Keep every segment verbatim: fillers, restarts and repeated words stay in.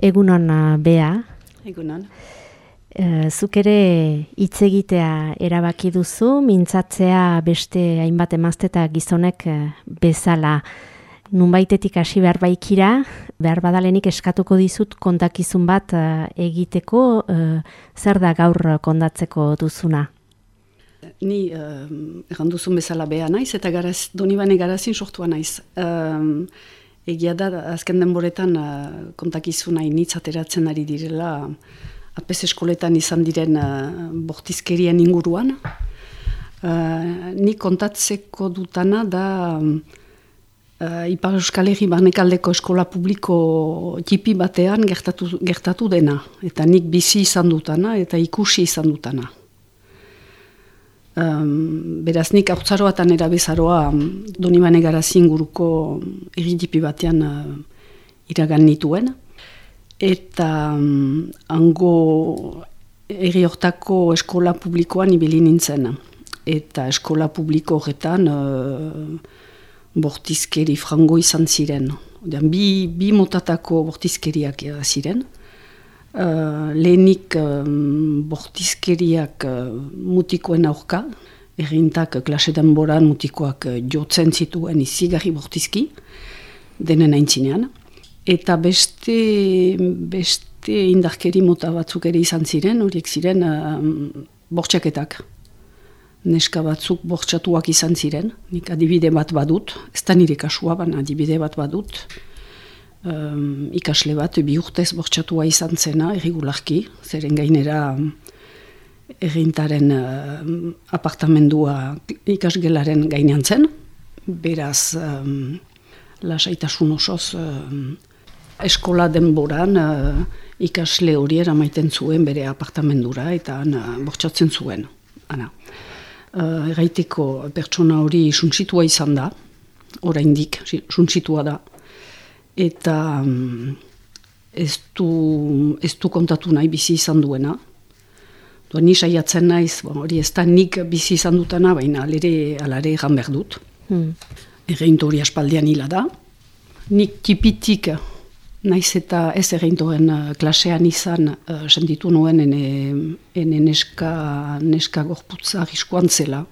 Egunon, Bea. Egunon. E, zuk ere hitz egitea erabaki duzu, mintzatzea beste hainbat emazte eta gizonek bezala. Nunbaitetik hasi behar baikira, behar badalenik eskatuko dizut kontakizun bat egiteko, e, zer da gaur kondatzeko duzuna? Ni uh, erran duzun bezala Bea naiz, eta garaz, Donibane Garazin sortua naiz. Um, egia da, azken denboretan uh, kontakizuna initz ateratzen ari direla, apez eskoletan izan diren uh, bortizkerien inguruan. Uh, ni kontatzeko dutana da uh, Ipar Euskal Herri barnekaldeko eskola publiko tipi batean gertatu, gertatu dena. Eta nik bizi izan dutana eta ikusi izan dutana. Um, beraz nik haurtzaroatan erabezaroa Donibane Garazin inguruko erritipi batean uh, iragan nituen. Eta um, hango herri hortako eskola publikoan ibili nintzen. Eta eskola publiko horretan uh, bortizkeri frango izan ziren. Odean, bi, bi motatako bortizkeriak ziren. Uh, lehenik um, bortizkeriak uh, mutikoen aurka, errintak klase denboran mutikoak uh, jotzen zituen izigarri bortizki, denen aintzinean. Eta beste, beste indarkeri mota batzuk ere izan ziren, horiek ziren uh, bortxaketak. Neska batzuk bortxatuak izan ziren, nik adibide bat badut, ez da nire kasua, baina adibide bat badut. Um, ikasle bat bi urtez bortxatua izan zena erregularki, zeren gainera errintaren uh, apartamendua ikasgelaren gainean zen, beraz um, lasaitasun osoz um, eskola denboran uh, ikasle hori eramaiten zuen bere apartamendura eta uh, bortxatzen zuen. Ana. Uh, erraiteko pertsona hori suntsitua izan da, oraindik suntsitua da. Eta um, ez, du, ez du kontatu nahi bizi izan duena. Dua, ni saiatzen naiz, bon, hori ez da nik bizi izan dutana, baina alere, alare egan behar dut. Hmm. Erreinto hori aspaldian hila da. Nik tipitik naiz eta ez erreintoren klasean izan uh, sentitu nuen ene, ene neska, neska gorputza arriskuan zela.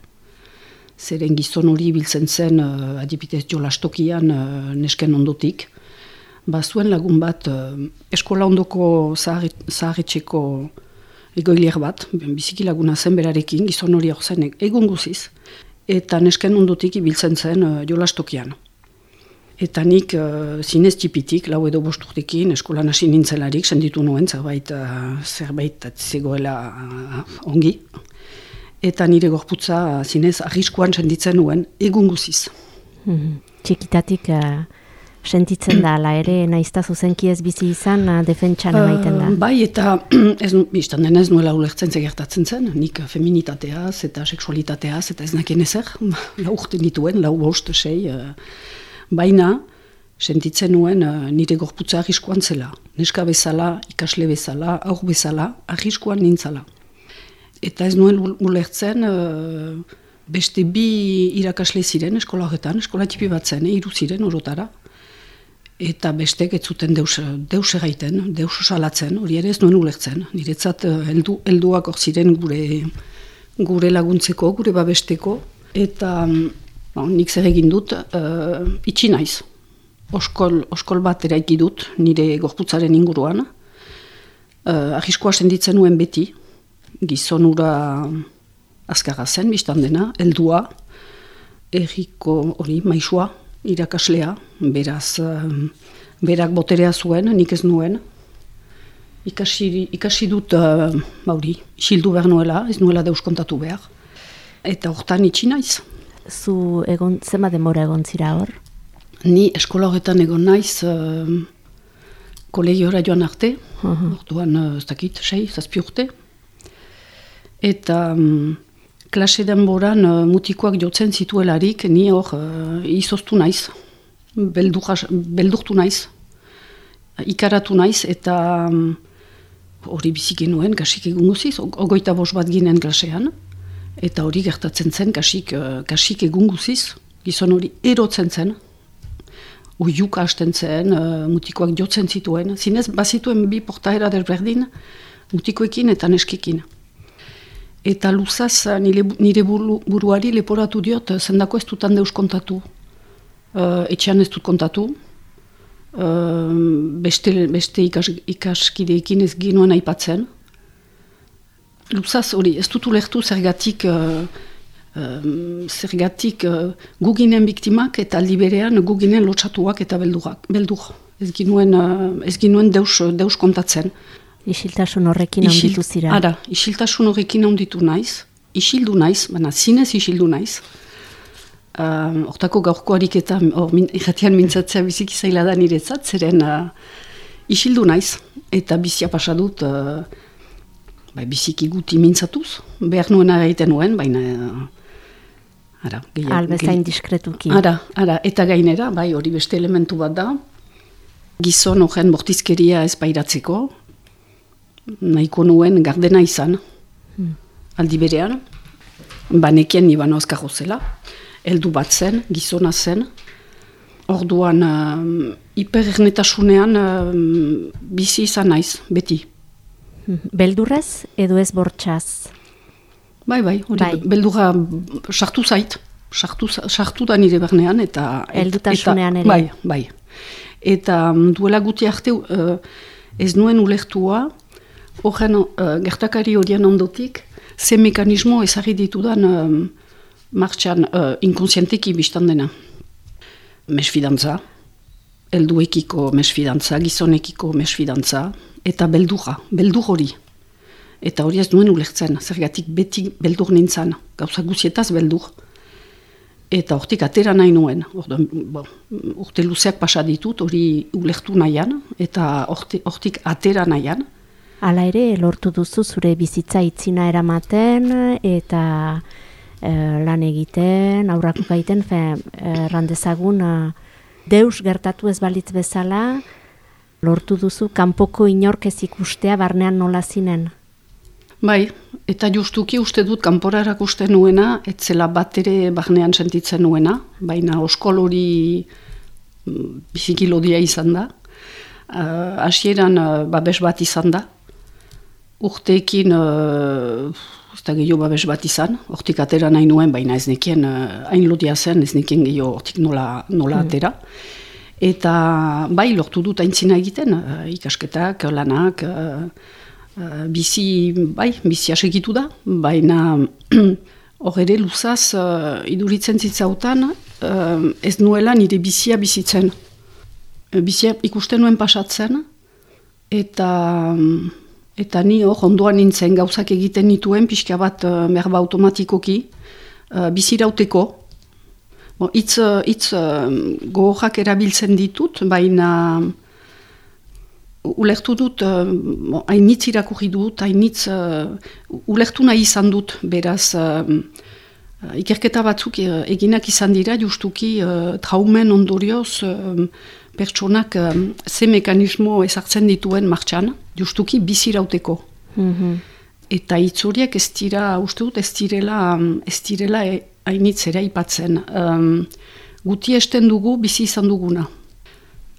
Zeren gizon hori biltzen zen uh, adibidez jolastokian uh, nesken ondotik. Bazuen lagun bat, eskola ondoko zaharretxeko egoilier bat, biziki laguna zen berarekin, gizon hori hor zen egun guziz, eta nesken ondotik ibiltzen zen uh, jolastokian. Eta nik uh, zinez tipitik, lau edo bosturtekin, eskolan hasi nintzelarik, senditu nuen, zerbait, uh, zerbait zegoela uh, ongi. Eta nire gorputza uh, zinez arriskuan senditzen nuen egun guziz. Hmm. Txikitatik... Uh... Sentitzen da, ala ere, naizta zuzenki ez bizi izan, defentsan emaiten da. Uh, bai, eta ez, biztan dena ez nuela ulertzen gertatzen zen, nik feminitateaz eta seksualitateaz, eta ez nakien ezer, lau urte nituen, lau bost, sei, uh, baina sentitzen nuen uh, nire gorputza arriskuan zela. Neska bezala, ikasle bezala, aur bezala, arriskuan nintzala. Eta ez nuen ulertzen, uh, beste bi irakasle ziren eskola horretan, eskola tipi bat zen, hiru ziren orotara. Eta bestek ez zuten deus, deus egaiten, deus salatzen, hori ere ez nuen ulertzen. Niretzat heldu, helduak hor ziren gure, gure laguntzeko, gure babesteko. Eta bon, nik zer egin dut, uh, itxi naiz. Oskol, oskol bat eraiki dut nire gorputzaren inguruan. Uh, Arriskoa senditzen nuen beti, gizonura azkarra zen, biztan dena, heldua, erriko hori, maisua, irakaslea, beraz, um, berak boterea zuen, nik ez nuen. Ikasi, ikasi dut, uh, bauri, isildu behar nuela, ez nuela deus kontatu behar. Eta hortan itxi naiz. Zu egon, zema demora egon zira hor? Ni eskola horretan egon naiz, uh, kolegiora joan arte, uh-huh. Orduan, uh, ez dakit, sei, zazpi urte. Eta... Um, klase denboran uh, mutikoak jotzen zituelarik, ni hor uh, izoztu naiz, beldurra, beldurtu naiz, ikaratu naiz, eta hori um, bizik genuen, kasik egun guziz, ogoita bos bat ginen klasean, eta hori gertatzen zen, kasik, uh, kasik egun guziz, gizon hori erotzen zen, oiuka hasten zen, uh, mutikoak jotzen zituen. Zinez, bazituen bi portaera desberdin, mutikoekin eta neskikin. Eta luzaz nire, nire buru, buruari leporatu diot, zendako ez dutan deus kontatu. Uh, etxean ez dut kontatu. Uh, beste beste ikas, ikaskideekin ez ginuen aipatzen. Luzaz hori, ez dut ulertu zergatik, uh, uh, zergatik uh, guginen biktimak eta aldi berean guginen lotsatuak eta beldurak, beldur. Ez ginuen, uh, ez ginuen deus, deus kontatzen. Isiltasun horrekin handitu zira. Ara, isiltasun horrekin handitu naiz, isildu naiz, baina zinez isildu naiz. Uh, Hortako gaurko ariketa, or, min, irratian mintzatzea biziki zaila da niretzat, zeren uh, isildu naiz, eta bizia pasadut, uh, bai, biziki guti mintzatuz, behar nuena egiten nuen, baina... Uh, ara, gehiago... Albezain diskretuki. Ara, ara, eta gainera, bai, hori beste elementu bat da, gizon horren bortizkeria ez pairatzeko, nahiko nuen gardena izan, hmm. aldi berean, banekien niban ozkarro zela, heldu bat zen, gizona zen, orduan uh, hiperernetasunean uh, bizi izan naiz, beti. Beldurrez edo ez bortxaz? Bai, bai, hori, bai. Beldurra sartu zait, sartu, sartu da nire bernean, eta... Heldutasunean ere? Bai, bai. Eta duela guti arte uh, ez nuen ulertua, horren uh, gertakari horien ondotik, ze mekanismo ezarri ditudan uh, martxan uh, inkonsienteki biztan dena. Mesfidantza, helduekiko mesfidantza, gizonekiko mesfidantza, eta beldurra, beldur hori. Eta hori ez nuen ulertzen, zergatik beti beldur nintzen, gauza guzietaz beldur. Eta hortik atera nahi nuen, orduan, bon, urte luzeak pasa ditut, hori ulertu nahian, eta hortik atera nahian. Hala ere, lortu duzu zure bizitza itzina eramaten eta e, lan egiten, aurrako gaiten, errandezagun, e, deus gertatu ez balitz bezala, lortu duzu kanpoko inork ez ikustea barnean nola zinen. Bai, eta justuki uste dut kanpora erakusten nuena, etzela bat ere barnean sentitzen nuena, baina oskol hori biziki lodia izan da. Hasieran uh, babes bat izan da. Urteekin, uh, ez da gehiago babes bat izan, hortik atera nahi nuen, baina ez nekien uh, hain lodia zen, ez nekien gehiago hortik nola, nola mm. atera. Eta bai, lortu dut aintzina egiten, uh, ikasketak, lanak, uh, uh, bizi, bai, bizi asegitu da, baina hor ere luzaz uh, iduritzen zitzautan, uh, ez nuela nire bizia bizitzen. Bizia ikusten nuen pasatzen, eta... Eta ni hor, ondoan nintzen gauzak egiten nituen, pixka bat uh, merba automatikoki, uh, bizirauteko. Bon, itz itz uh, gogorak erabiltzen ditut, baina ulertu dut, uh, bon, hainitz irakurri dut, hainitz uh, ulertu nahi izan dut, beraz, uh, uh, ikerketa batzuk uh, eginak izan dira, justuki uh, traumen ondorioz, uh, pertsonak um, ze mekanismo ezartzen dituen martxan, justuki bizirauteko. Mm-hmm. Eta hitz horiek ez dira, uste dut, ez direla, ez direla hainitz ere aipatzen. Um, guti esten dugu bizi izan duguna.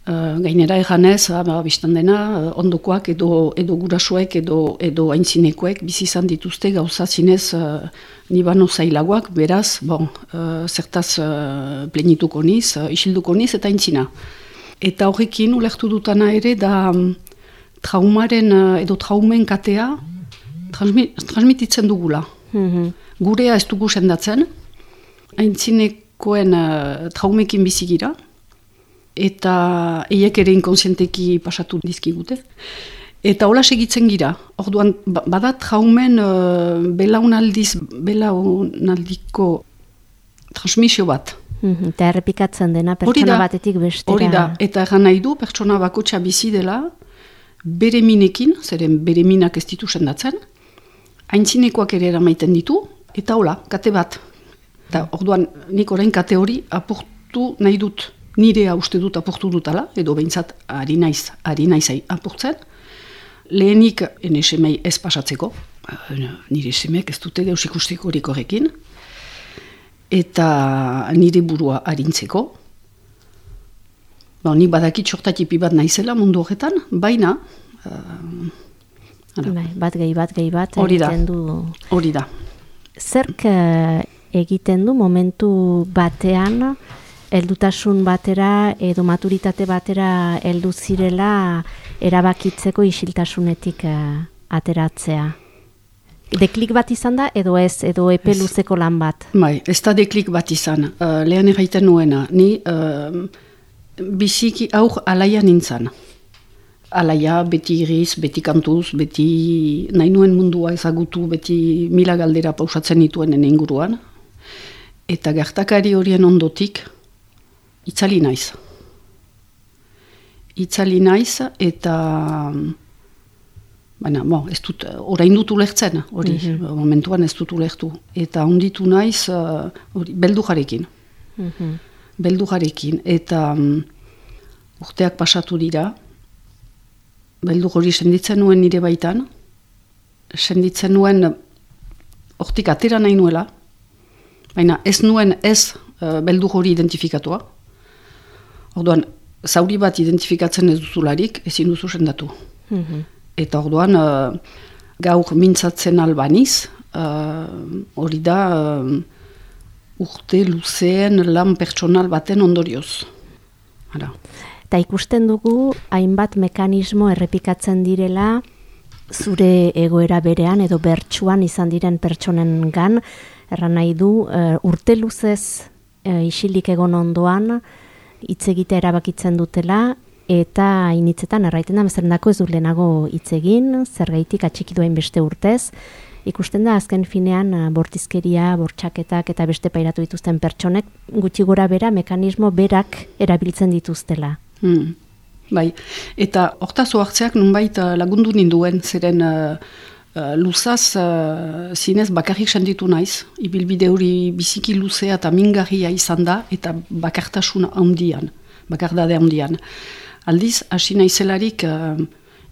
Uh, gainera eganez, ba, biztan dena, ondokoak edo, edo gurasoek edo, edo aintzinekoek bizi izan dituzte gauza zinez uh, nibano zailagoak, beraz, bon, uh, zertaz uh, plenituko niz, uh, isilduko niz eta aintzina. Eta horrekin ulertu dutana ere da traumaren edo traumen katea transmi, transmititzen dugula. Mm-hmm. Gurea ez dugu sendatzen, aintzinekoen uh, traumekin bizigira, eta eiek ere inkonsienteki pasatu dizkigute. Eta hola segitzen gira. Orduan, bada traumen uh, belaunaldiz, belaunaldiko transmisio bat. Eta errepikatzen dena pertsona batetik bestera. Hori da, eta erran nahi du, pertsona bakotxa bizi dela, bere minekin, zeren bere minak ez ditu sendatzen, aintzinekoak ere eramaiten ditu, eta hola, kate bat. Eta orduan, nik orain kate hori apurtu nahi dut, nirea uste dut apurtu dutala, edo behintzat ari naiz, ari naizai apurtzen. Lehenik, ene semei ez pasatzeko, nire semeek ez dute deus ikustiko horik horrekin, eta nire burua arintzeko. Ba, nik badakit sortatipi bat naizela mundu horretan, baina... Uh, bai, bat gehi bat gehi bat hori da, egiten du. Hori da. Zerk uh, egiten du momentu batean, heldutasun batera edo maturitate batera heldu zirela erabakitzeko isiltasunetik uh, ateratzea? Deklik bat izan da edo ez, edo epe luzeko lan bat? Bai, ez da deklik bat izan. Uh, lehen erraiten nuena, ni uh, biziki aur alaia nintzen. Alaia, beti iriz, beti kantuz, beti nahi nuen mundua ezagutu, beti mila galdera pausatzen nituenen inguruan. Eta gertakari horien ondotik, itzali naiz. Itzali naiz eta... Baina, bo, ez dut, orain dut ulertzen, hori, mm-hmm. momentuan ez dut ulertu. Eta onditu naiz, uh, hori, beldujarekin. Mm-hmm. Beldujarekin. Eta um, urteak pasatu dira, beldu hori senditzen nuen nire baitan, senditzen nuen hortik atera nahi nuela, baina ez nuen ez uh, beldu hori identifikatua. Orduan, zauri bat identifikatzen ez duzularik, ezin duzu sendatu. Mm-hmm. Eta orduan, uh, gaur mintzatzen albaniz, hori uh, da uh, urte luzeen lan pertsonal baten ondorioz. Hala. Eta ikusten dugu, hainbat mekanismo errepikatzen direla, zure egoera berean edo bertsuan izan diren pertsonen gan, erran nahi du, uh, urte luzez uh, isilik egon ondoan, hitz egitea erabakitzen dutela, eta initzetan erraiten da, bezerendako ez du lehenago hitz egin, zergaitik atxiki duen beste urtez. Ikusten da, azken finean, bortizkeria, bortxaketak eta beste pairatu dituzten pertsonek, gutxi gora bera, mekanismo berak erabiltzen dituztela. Hmm. Bai, eta hortaz oartzeak nunbait lagundu ninduen, zeren uh, uh, luzaz uh, zinez bakarrik senditu naiz, ibilbide hori biziki luzea eta mingarria izan da, eta bakartasun handian, bakardade handian. Aldiz, hasi naizelarik uh,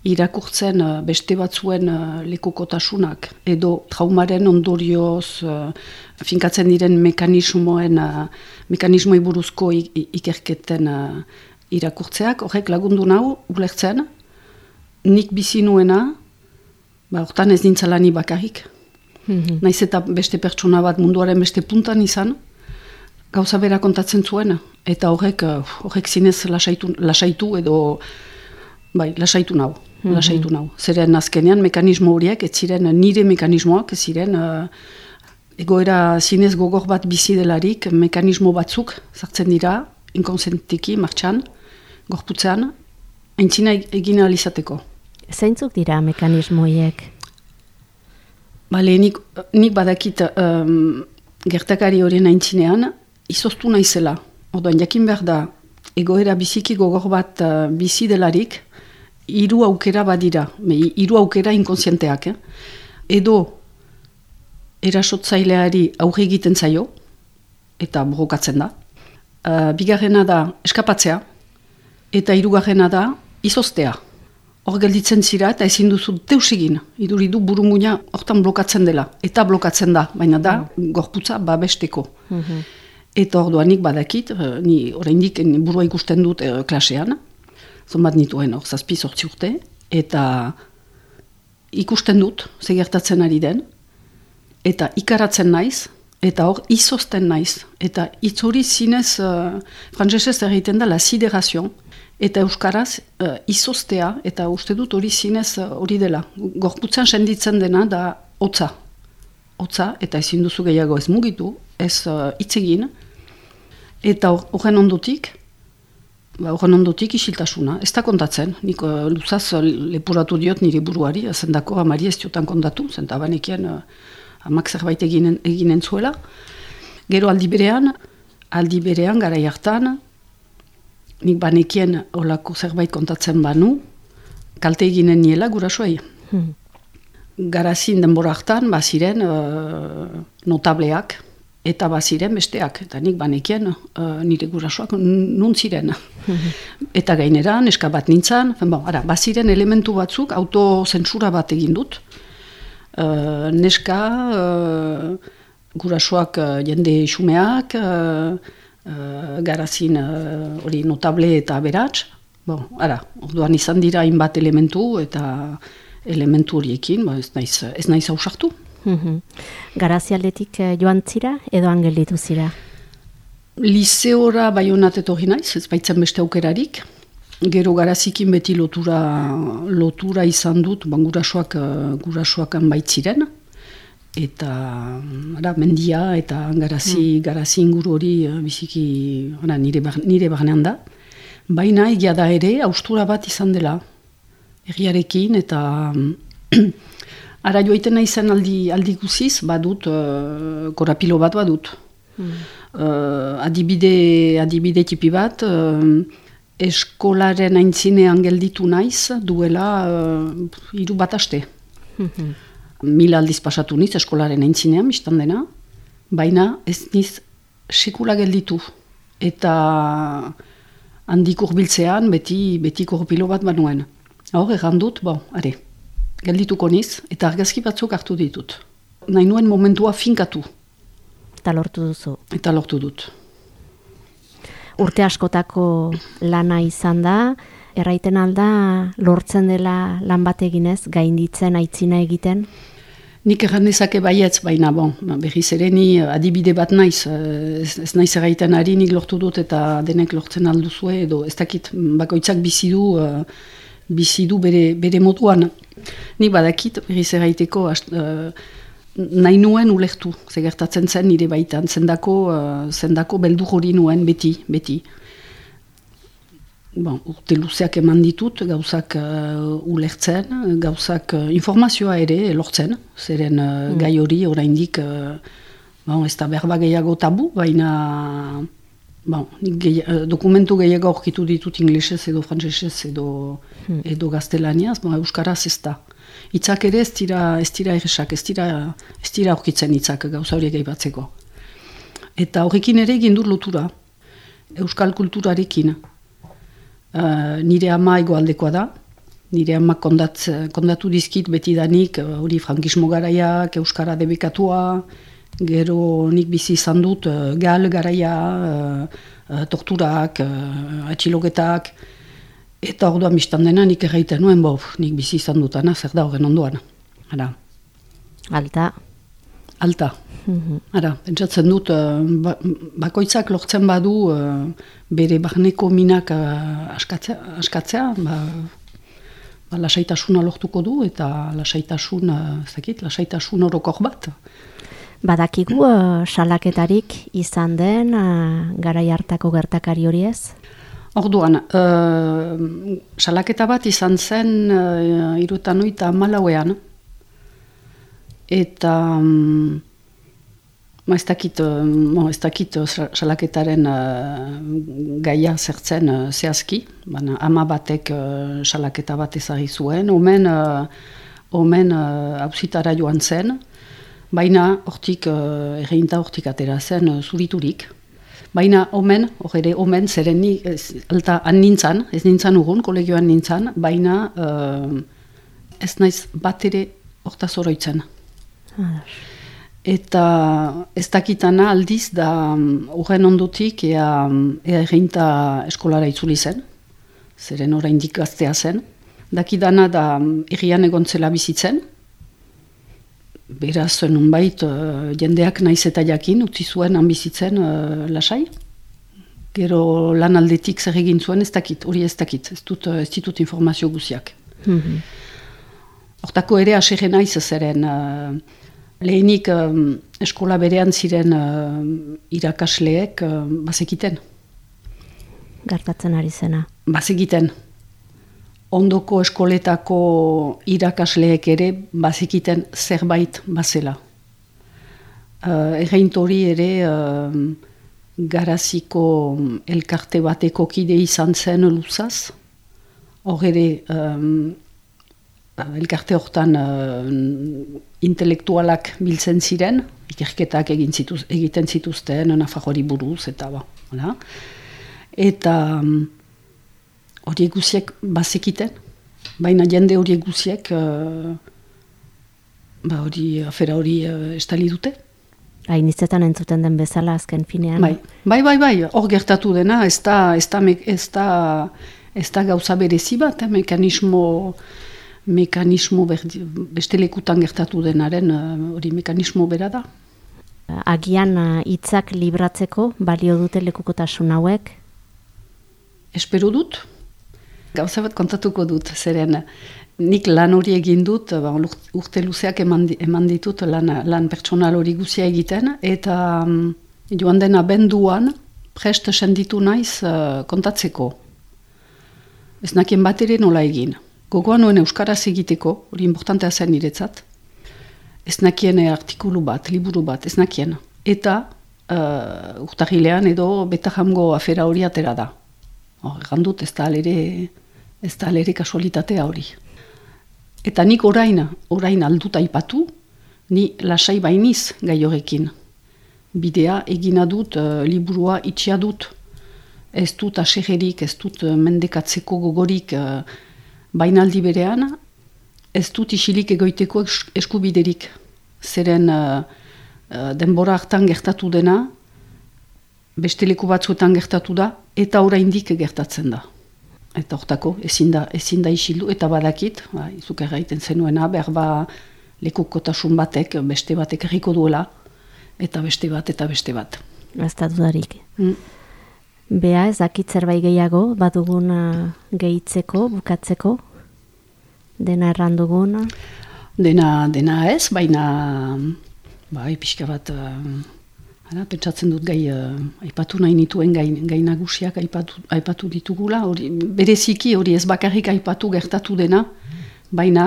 irakurtzen uh, beste batzuen uh, lekukotasunak edo traumaren ondorioz uh, finkatzen diren mekanismoen, uh, mekanismoi buruzko ikerketen uh, irakurtzeak, horrek lagundu nau, ulertzen, nik bizi nuena, ba, hortan ez nintzala ni bakarrik. Mm-hmm. Naiz eta beste pertsona bat munduaren beste puntan izan, gauza bera kontatzen zuen, eta horrek, horrek zinez lasaitu, lasaitu edo, bai, lasaitu nau, mm-hmm. lasaitu nau. Zeren azkenean mekanismo horiek, ez ziren nire mekanismoak, ez ziren uh, egoera zinez gogor bat bizi delarik, mekanismo batzuk sartzen dira, inkonsentiki, martxan, gorputzean, aintzina egin alizateko. Zeintzuk dira mekanismo horiek? Bale, nik, nik badakit um, gertakari horien aintzinean, izoztu naizela. Orduan, jakin behar da, egoera biziki gogor bat uh, bizi delarik, hiru aukera badira, hiru aukera inkonsienteak. Eh? Edo, erasotzaileari aurre egiten zaio, eta borrokatzen da. Uh, bigarrena da, eskapatzea, eta hirugarrena da, izoztea. Hor gelditzen zira eta ezin duzu deus egin. Iduridu burunguna hortan blokatzen dela. Eta blokatzen da, baina da, mm. gorputza babesteko. Mm-hmm. Eta orduanik badakit, ni oraindik burua ikusten dut e, klasean, zonbat nituen hor zazpi zortzi urte, eta ikusten dut, zegertatzen ari den, eta ikaratzen naiz, eta hor izozten naiz. Eta hitz hori zinez, uh, frantsesez egiten da, la siderazion, eta euskaraz uh, izoztea, eta uste dut hori zinez hori uh, dela. Gorputzan senditzen dena da hotza. Hotza, eta ezin duzu gehiago ez mugitu, ez uh, hitz egin, eta horren ondotik, ba, horren ondotik isiltasuna. Ez da kontatzen, nik uh, luzaz uh, lepuratu diot nire buruari, zendako amari ez diotan kontatu, zenta banekien uh, amak zerbait eginen, eginen zuela. Gero aldi berean, aldi berean, garai hartan, nik banekien olako zerbait kontatzen banu, kalte eginen niela gurasoei. Hmm. Garazin denbora hartan, baziren uh, notableak, eta baziren besteak. Eta nik banekien uh, nire gurasoak nun ziren. Hmm. Eta gainera, neska bat nintzen, bon, ara, baziren elementu batzuk, autozentsura bat egin dut. Uh, neska, uh, gurasoak uh, jende xumeak, uh, uh, garazin hori uh, notable eta aberats. Bon, ara, orduan izan dira hainbat elementu eta elementu horiekin, ba, ez naiz, ez naiz ausartu. Mm-hmm. Garazialdetik joan zira edo angelitu zira? Liseora Baionat etorri naiz, ez baitzen beste aukerarik. Gero garazikin beti lotura, lotura izan dut, ban gurasoak, gurasoakan baitziren. Eta ara, mendia eta garazi, mm. garazi inguru hori biziki ara, nire, nire barnean da. Baina egia da ere, haustura bat izan dela. Egiarekin eta ara joaiten naizen aldi, aldi guziz, badut, uh, korapilo bat badut. Mm. Uh, adibide, adibide tipi bat, uh, eskolaren aintzinean gelditu naiz, duela uh, hiru bat aste. Mm-hmm. Mila aldiz pasatu niz eskolaren aintzinean, biztan dena, baina ez niz sekula gelditu. Eta handik urbiltzean beti, beti korpilo bat banuen. Hor, egan dut, bon, are, geldituko niz, eta argazki batzuk hartu ditut. Nahi nuen momentua finkatu. Eta lortu duzu. Eta lortu dut. Urte askotako lana izan da, erraiten alda lortzen dela lan bat eginez, gainditzen, aitzina egiten? Nik erran dezake baietz, baina bon, berriz ere ni adibide bat naiz, ez, ez naiz erraiten ari nik lortu dut eta denek lortzen alduzue, edo ez dakit bakoitzak bizi du, uh, bizi du bere, bere moduan. Nik badakit berriz erraiteko uh, nahi nuen ulertu, zegertatzen zen nire baitan, zendako, uh, zendako beldur hori nuen beti, beti. Bon, urte luzeak eman ditut, gauzak uh, ulertzen, gauzak uh, informazioa ere lortzen, zeren uh, mm. gai hori oraindik uh, bon, ez da berba gehiago tabu, baina bon, gehi, uh, dokumentu gehiago aurkitu ditut inglesez edo frantsesez edo, mm. edo gaztelaniaz, bon, euskaraz ez da. Hitzak ere ez dira, ez dira erresak, ez dira, ez dira aurkitzen hitzak gauza horiek aipatzeko. Eta horrekin ere egin dut lotura, euskal kulturarekin. Uh, nire ama egoaldekoa da, nire ama kondat, kondatu dizkit betidanik hori uh, frankismo garaiak, euskara debekatua, gero nik bizi izan dut uh, gal garaia, uh, uh, torturak, uh, atxiloketak, eta orduan biztan dena nik erraiten nuen, bo, nik bizi izan dutana, zer da horren ondoan. Ara. Alta. Alta. Mm-hmm. Ara, pentsatzen dut, uh, bakoitzak lortzen badu uh, bere barneko minak uh, askatzea, askatzea ba, ba, lasaitasuna lortuko du eta lasaitasun, uh, zakit, lasaitasun orokor bat. Badakigu uh, salaketarik izan den uh, garai hartako gertakari hori ez? Orduan, uh, salaketa bat izan zen uh, hirurogeita oita hamalauean eta um, Ma ez dakit, uh, ez dakit uh, salaketaren uh, gaia zertzen uh, zehazki, baina ama batek uh, salaketa bat ezagri zuen, omen, uh, omen uh, auzitara joan zen, baina hortik, uh, erreinta hortik atera zen uh, zuriturik. Baina omen, hor ere omen, zeren ni, ez, alta han nintzan, ez nintzan urgun, kolegioan nintzan, baina uh, ez naiz bat ere hortaz oroitzen. Ah. Eta ez dakitana aldiz da horren ondotik ea, ea erreinta eskolara itzuli zen, zeren oraindik gaztea zen. Dakidana da herrian egontzela bizitzen, beraz nunbait uh, jendeak naiz eta jakin utzi zuen han bizitzen uh, lasai. Gero lan aldetik zer egin zuen ez dakit, hori ez dakit, ez dut, ez ditut informazio guziak. Mm-hmm. Hortako ere asere naiz zeren... Uh, Lehenik um, eskola berean ziren uh, irakasleek uh, bazekiten. Gertatzen ari zena. Bazekiten. Ondoko eskoletako irakasleek ere bazekiten zerbait bazela. Uh, Erreint hori ere uh, garaziko elkarte bateko kide izan zen luzaz. Hor ere... Um, elkarte hortan uh, intelektualak biltzen ziren, ikerketak egin zituz, egiten zituzten, Nafarroari buruz, eta ba, hola. Eta horiek um, guziek bazekiten, baina jende horiek guziek uh, ba hori, afera hori uh, estali dute. Hainitzetan entzuten den bezala azken finean. Bai, bai, bai, bai. Hor gertatu dena, ez da, ez da, ez da, ez da gauza berezi bat, eh? mekanismo, mekanismo berdi, beste lekutan gertatu denaren hori uh, mekanismo bera da. Agian hitzak uh, libratzeko balio dute lekukotasun hauek? Espero dut. Gauza bat kontatuko dut, zeren nik lan hori egin dut, ba, urte luzeak eman, eman ditut lan, lan pertsonal hori guzia egiten, eta um, joan dena benduan prest senditu naiz uh, kontatzeko. Ez nakien bat ere nola egin. Gogoa nuen euskaraz egiteko, hori importantea zen niretzat. Ez nakien artikulu bat, liburu bat, ez nakien. Eta uh, urtahilean edo betahamgo afera hori atera da. Egan dut, ez da alere, ez da alere kasualitatea hori. Eta nik orain, orain alduta aipatu, ni lasai bainiz gai horrekin. Bidea egina dut, uh, liburua itxia dut. Ez dut asegerik, ez dut mendekatzeko gogorik uh, bainaldi berean, ez dut isilik egoiteko eskubiderik. Zeren uh, uh, denbora hartan gertatu dena, beste leku batzuetan gertatu da, eta oraindik gertatzen da. Eta hortako ezin da, ezin da isildu, eta badakit, ba, izuk erraiten zenuena, behar ba lekukotasun batek, beste batek erriko duela, eta beste bat, eta beste bat. Ez da dudarik. Mm. Bea, ez dakit zerbait gehiago, baduguna gehitzeko, bukatzeko, dena errandugun? Dena, dena ez, baina, bai, pixka bat, Hala, pentsatzen dut gai, uh, aipatu nahi nituen gai, gai nagusiak aipatu, aipatu ditugula. Hori, bereziki hori ez bakarrik aipatu gertatu dena, baina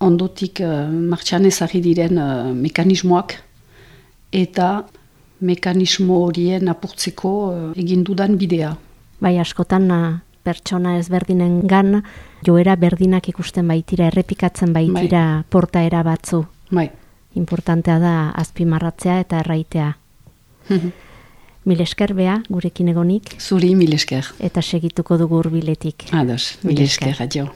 ondotik uh, martxan ezarri diren uh, mekanismoak eta mekanismo horien apurtzeko uh, egin dudan bidea. Bai, askotan uh, pertsona ezberdinen gan, joera berdinak ikusten baitira, errepikatzen baitira bai. Portaera batzu. Bai. Importantea da azpimarratzea eta erraitea. Mil esker, Bea, gurekin egonik. Zuri, mil esker. Eta segituko dugu hurbiletik. Ados, mil esker, adio.